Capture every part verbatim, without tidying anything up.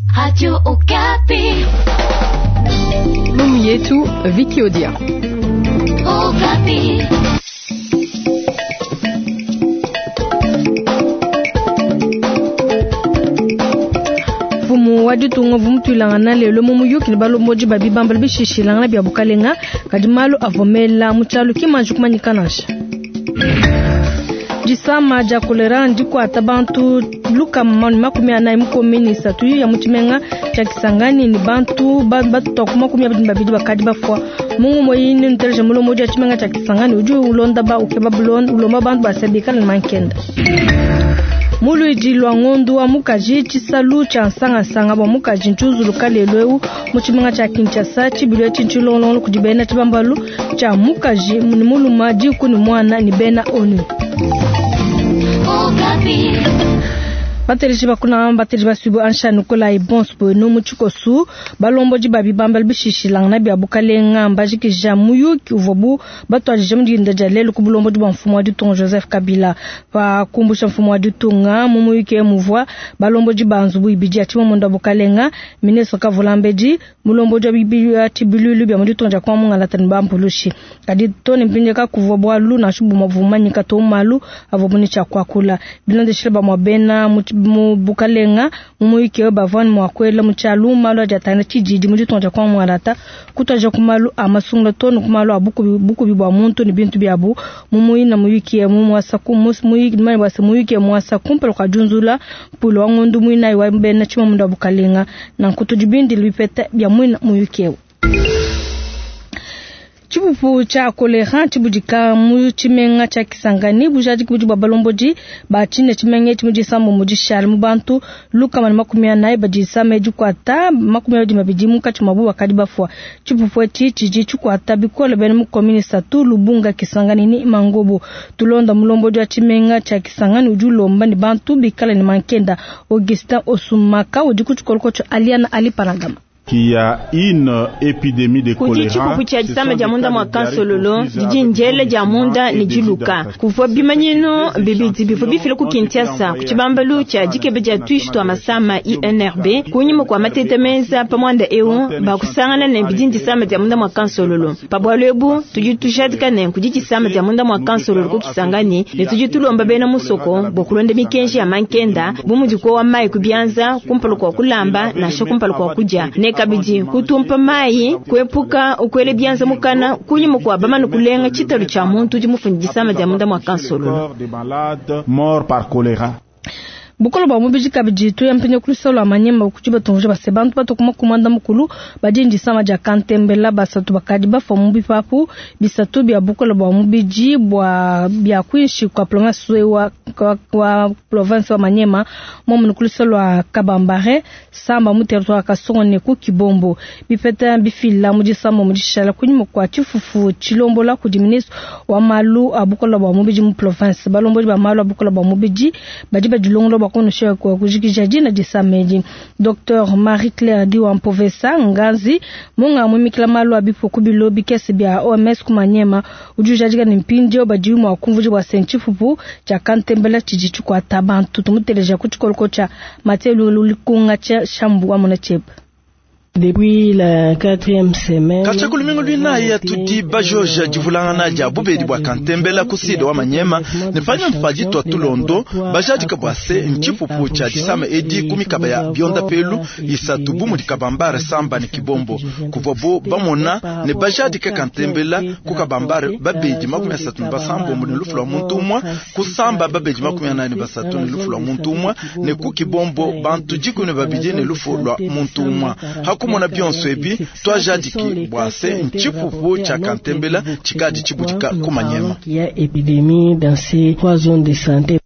Radio Okapi. Lumu yetu Vicky Odia. Okapi. Mfumu wa ditunga vumutwilangana lelo mu muyuki ne balombodi ba bibambalu bishishilangana bia bukalenga kadi malu avua mela mu tshialu ki manji kumanyika nansha. Disama dia kolera ndikuata bantu lukama ne makumi anayi mu komini isatu ya mu tshimenga tshia Kisangani ne bantu batutua ku makumi abidi ne babidi bakadi bafua. Mungu moyini nteleje mulombodi wa tshimenga tshia Kisangani udi ulonda ba ukeba bulonda ulomba bantu basabikala ne mankenda. Muluidi lwa ngondu wa mukaji tshisalu tshia nsangasanga bua mukaji ntshiuzuluka lelu eu mu tshimenga tshia Kinshasa tshibilu etshi ntshilongolongo kudi bena tshibambalu tshia mukaji ne muluma diku ne muana ne bena ONU. Bateleji bakuna bateleji basubu ansha Nikolai Bonsbo no mu tshikosu balombodi ba bibambalu bishishilangana bia bukalenga mbajikija muyuki uvuabu batuadije mu dinda dia lelu ku bulombodi bua mfumu wa ditunga Joseph Kabila. Pa kumbusha mfumu wa ditunga mu muyuki muvua balombodi ba nzubu ibidi ya tshimomunda bukalenga ministre Kavulambedi mulombodi wa tshibilulu bia mu ditunga dia kwa mungalata ne bampulushi. Kadi to ne mpindieu kakuvua bualu nansha bumue bumanyika to malu avua ne tshia kuakula. Bilondeshile bamue bena mu mu bukalenga mu muyuki bavua ne mua kuela mu tshialu malu adi atangila tshididi mu ditunga dia kwa mungalata kutuadija ku malu a masungula to ne ku malu a bukubi, bukubi bua muntu ne bintu biabu. Mu muyina muyuki mu muasa ku muyuki mane bua se muyuki muasa kumpala kua diunzula mpuilu wa ngondu muinayi wa bena tshimomunda wa bukalenga. Nanku tudi bindile bipeta bia muina muyuki eu. Tshipupu tshia kolera tshibudika mu tshimenga tshia Kisangani bujadiki budi bua balombodi ba tshine tshimenga etshi mu disambo mu dishale mu bantu lukama ne makumi anayi badi disama dikuata makumi abidi mabidi munkatshi muabu bakadi bafua. Tshipupu etshi tshidi tshikuata bikole bena mu commune isatu Lubunga, Kisangani ne Mangobo. Tulonda mulombodi wa tshimenga tshia Kisangani udi ulomba ne bantu bikale ne mankenda. Augustin Osumaka udi ku tshikoloko tshia Aliana Ali Panagama. Qu'il y a une épidémie de Kudi choléra. tshipupu tshia disama dia munda mua kansololo didi ndiele dia munda ne diluka kuvua bimanyinu bibidi bivua bifila ku Kinshasa ku tshibambalu tshia dikebe dia tuishi tua masama I N R B kunyima kua mateta meza pa muanda eu bakusangana ne bidi disama dia munda mua kansololo. Pa bualu ebu tudi tujadika ne kudi disama dia munda mua kansololo ku Kisangani ne tudi tulomba bena musoko bua kulonda mikenji ya mankenda bu mudi kuowa mayi ku bianza kumpala kua kulamba nansha kumpala kua kudia ne kabidi kutumpa mayi kuepuka ukwele bianza mukana kunyima kwa bamana kulenga tshitalu tshia muntu udi mufunde disama dia munda mua kansololo. Des malades morts par choléra. Bukolo bwa mubidi kabidi tuya mpinyo kulusalo amanyema kuti batonje base bantu batokuma kumanda mukulu badi ndisama dia kantembela basatu bakadi bafua mu bipapu bisatu bia bukolo bwa mubidi bwa bia kwinshi kwa province wa, kwa, kwa province wa Manyema momu kulusalo wa Kabambare samba mu territoire Kasongo ne ku Kibombo bipeta bifila mu disama mu dishala kunyima kwa tshifufu tshilombola kudi ministre wa malu a bukolo bwa mubidi mu province balombodi ba malu a bukolo bwa mubidi badi badilongolo bwa kono kwa kujikija dina disamedi. Docteur Marie-Claire Diwa Mpovesa Ngazi munga mwimikila malu a bipuku bilo bikese bia O M S ku Manyema udi ujadika ne mpindieu badi mua kumvuja bua se ntshipupu tshia kantembela tshidi tshikuata bantu. Tumuteleja ku tshikoloko tshia Mathieu Lulikunga tshia Shambu wa Mona Tshebe. Depuis la quatrième semaine, Kacha kulumingu lwinayi ya tudi bajoja divulangana dia bubedi bua kantembela ku sud wa Manyema ne panyima mpaji twa tulondo bajadika bua se ntshipupu tshia disama edi ku mikaba ya bionda pelu isatu bu mudi Kabambare samba ne Kibombo kuvua bo bamona ne bajadika kantembela ku Kabambare babedi makumi asatu ne basambombo ne lufu lua muntu umue ku samba babedi makumi anayi ne basatu ne lufu lua muntu umue ne ku Kibombo bantu dikumi ne babidi ne lufu lua muntu umue. Hakumona bionso ebi twajadiki bua se ntshipupu tshia kantembela tshikadi tshibudika ku Manyema. Il y a épidémie dans ces trois zones de santé.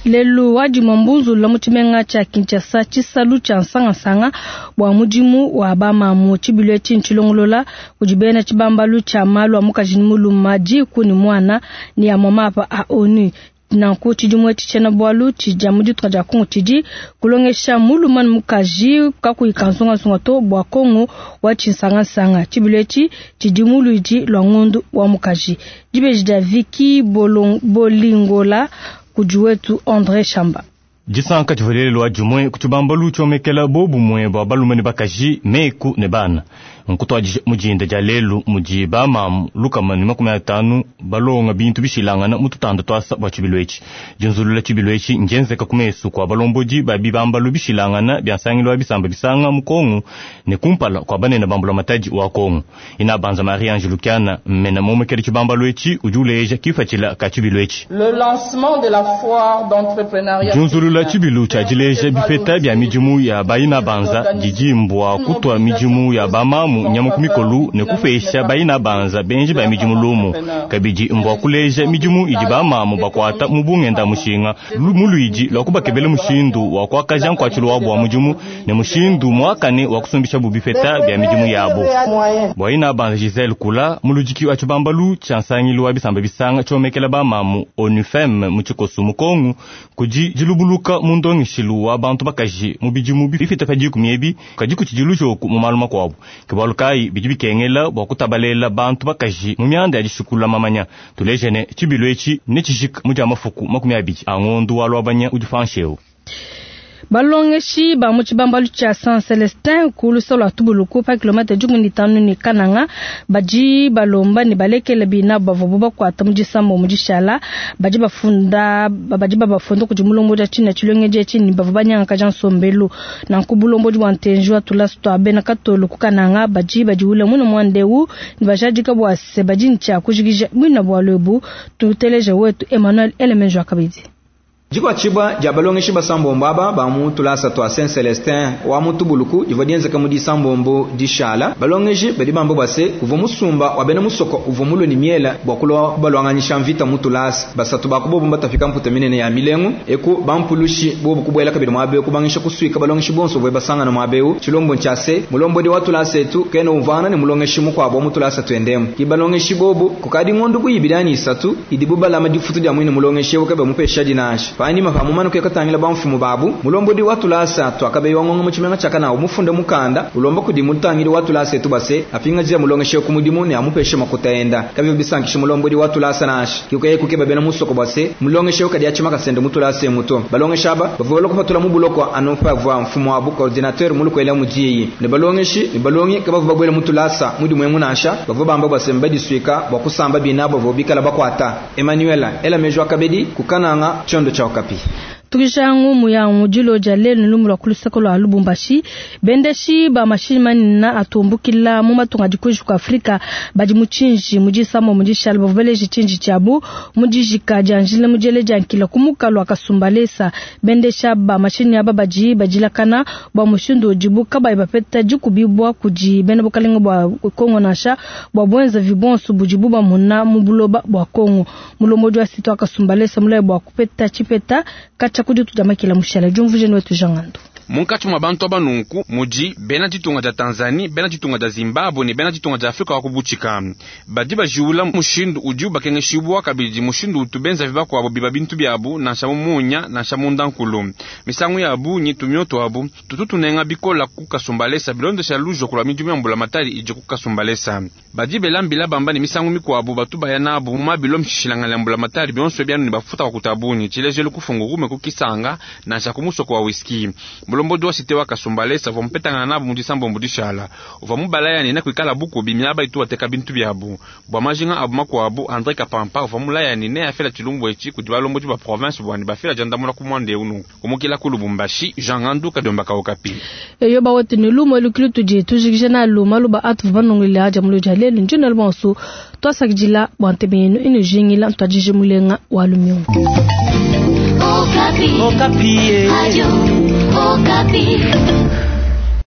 Lelu wadi mwambunzu la mu tshimenga tshia Kinshasa tshisalu tshia nsangasanga bua mudimu wa bamamu tshibilu etshi ntshilongolola kudi bena tshibambalu tshia malu a mukaji ne muluma diku ne muana ne ya mamapa a ONU. Nanku tshidimu etshi tshiena bualu tshidia mu ditunga dia Kongo tshidi kulongesha muluma ne mukaji kakuyi kansungasunga to bua Kongo wa tshinsangasanga. Tshibilu etshi tshidi mu luidi lua ngondu wa mukaji. Dibeji dia Vicky Bolong-, Bolingola kudi wetu André Chamba. Disanka divalelelwa dimue ku tshibambalu tshiomekela bobumue bua balume ne bakaji, meku ne bana. Nkutwadija mudinda dia lelu mudi bamamu lukama ne makumi atanu balonga bintu bishilangana mu tutanda twasa bua tshibilu etshi. Dinzulula tshibilu etshi njenzeka ku mesu kua balombodi ba bibambalu bishilangana bia nsangilu wa bisamba bisanga mu Kongo ne kumpala kua banene ba mbulamatadi wa Kongo. Ina banza Marie Ange Lukiana mmena momekela tshibambalu etshi udi uleja kifatshila ka tshibilu etshi. Le lancement de la foire d'entrepreneuriat Junzulula tshibilu tshia dileja bipeta bia midimu ya bayina banza didi mbua kutwa midimu ya bamamu nyama ku mikolu ne kupesha bayina banza benji ba midimu lumu. Kabidi mbua kuleja midimu idi bamamu bakwata mu bungenda mushinga muluidi lwa kubakebela mushindu wa kuakaja nkuatshilu wabu wa mudimu ne mushindu muakane wa kusumbisha bu bipeta bia midimu yabo. Bwaina banza Giselle Kula muludiki wa tshibambalu tshia nsangilu wa bisamba bisanga tshiomekela bamamu ONUFEM mu tshikosu mu Kongo kudi dilubuluka mu ndongeshilu wa bantu bakaji mu bidimu bifita pa dikumi ebi kadi kutshidilu tshoku mu malu makuabu. Ke bualu kayi bidi bikengela bua kutabalela bantu bakaji mu mianda ya dishukula mamanya. Tulejene tshibilu etshi ne tshijika mu dia mafuku makumi abidi a ngondu wa lwabanya udi pansheu. Balongeshi ba mu tshibambalu tshia Saint Celestin ku lusolo lwa Tubuluku pa kilomètre dikumi ne tanu ne Kananga badi balomba ne balekele bina bavua bakwata mu disambo mu dishala badi bafunda badi babafunda kudi mulombodi tshina tshilongeji etshi ne bavua banyangakaja nsombelu nanku bulombodi bua ntenji wa tulasu twa bena katolu ku Kananga badi badiwula muno mwandeu ne bajadika bua se badi ntshia kujikija bwina bua lwebu. Tuteleje wetu Emmanuel Elemenjo akabidi. Dikwatshibwa dia balongeshi basambombo aba ba mu tulasa twa Saint Celestin wa mu Tubuluku divua dienzeka mu disambombo dishala. Balongeshi badi bamba bua se kuvua musumba wa bena musoko uvua mulue ne miela bua kulua kubalwanganyisha mvita mu tulasa. Basatu ba kubobu mbatafika mputa minene ya milengu eku bampulushi bobu kubuela kabidi muabe kubangisha kusuika balongeshi bonso bwe basangana muabe tshilombo ntshia se mulombodi wa tulasa etu kena umvana ne mulongeshi mukuabu wa mu tulasa tuendemu. Ki balongeshi bobu kukadi ngondu kuyibidi ni isatu idibu balama difutu dia mwine mulongeshi ewu kabe mupesha dinasha. Panyima pa mumanu kuyakatangila bamfumu babu mulombodi wa tulasa twakabe wangonga mu tshimenga tshia umufunde mukanda ulomba kudi mutangili wa tulasa etu base apingajia mulongeshe ku mudimu ne amupeshe makuta enda kabyo bisankisha mulombodi wa tulasa nasha kikuye kukeba bena musoko base mulongeshe kadi achima kasende mutulasa emuto balongesha aba bavua kupatula mu buloko anopa vwa mfumu wabu coordinateur mulukwela mujiyi ne balongeshi ne balongi kabavu bagwela mutulasa mudimu emunasha bavua bamba base mbadiswika bwa kusamba binabo bavua bikala bakwata Emmanuel ela mejwa kabedi kukananga chondo cha Okapi. Tukishangu muyangu dilo dia lelu lumu lwa kulusaka lwa Lubumbashi bendeshi ba mashini manina atumbukila mu matunga dikuji ku Afrika badi muchinji mujisamo mujishala baveleji chinji chabu mujijika janjile mujele jankila kumuka lwa kasumbalesa bendesha ba mashini aba baji bajilakana bwa mushindu dibuka ba bapeta dikubibwa kudi bena bukalenga bwa Kongo nasha bwa bwenza vibonso bujibu ba muna mubuloba bwa Kongo mulombodi wa sito akasumbalesa mulaye bwa kupeta chipeta kacha kudi tudamakila mushala jumvuje wetu jangando. Munkatshi mwa bantu aba nunku mudi bena ditunga dia Tanzanie, bena ditunga dia Zimbabwe ne bena ditunga dia Afrika wa kubutshika badi bajiwula mushindu udi ubakengeshibwa kabidi mushindu utu benza vibakuabo biba bintu biabu nansha mu munya nansha mu ndankulu misangu yabu nyi tumioto abu tutu tunenga bikola ku kasumbalesa bilondesha lujo kulwa midimu ya mbulamatari ije ku kasumbalesa badi belambila bamba ne misangu mikuabu batu baya nabu mu mabilo mshishilangana ya mbulamatari bionso byanu ne bafuta kwa kutabunyi tshilejelu kufungurume kukisanga nansha kumusoko wa whisky. Mulombodi wa site wa kasumbalesa uvua mupetangana nabu mu disambombo dishala uvua mubalaya ne kuikala bukubi miaba itu ateka bintu biabu bua majinga abu makuabu André Kapampa uvua mulaya ne afela tshilumbu etshi kudi balombodi ba province bwani bafela jandamula ku mwanda unu kumukila ku Lubumbashi Jean Ngandu Kadomba ka Okapi. Eyo ba wote ne lumo elukili tudi tujikije na luma luba atu vanongile aja muluja lelu njina lubanso twasakidila bua ntebe yenu inu jingila ntwajije mulenga wa lumyongo. Okapi. Okapi. Radio Okapi.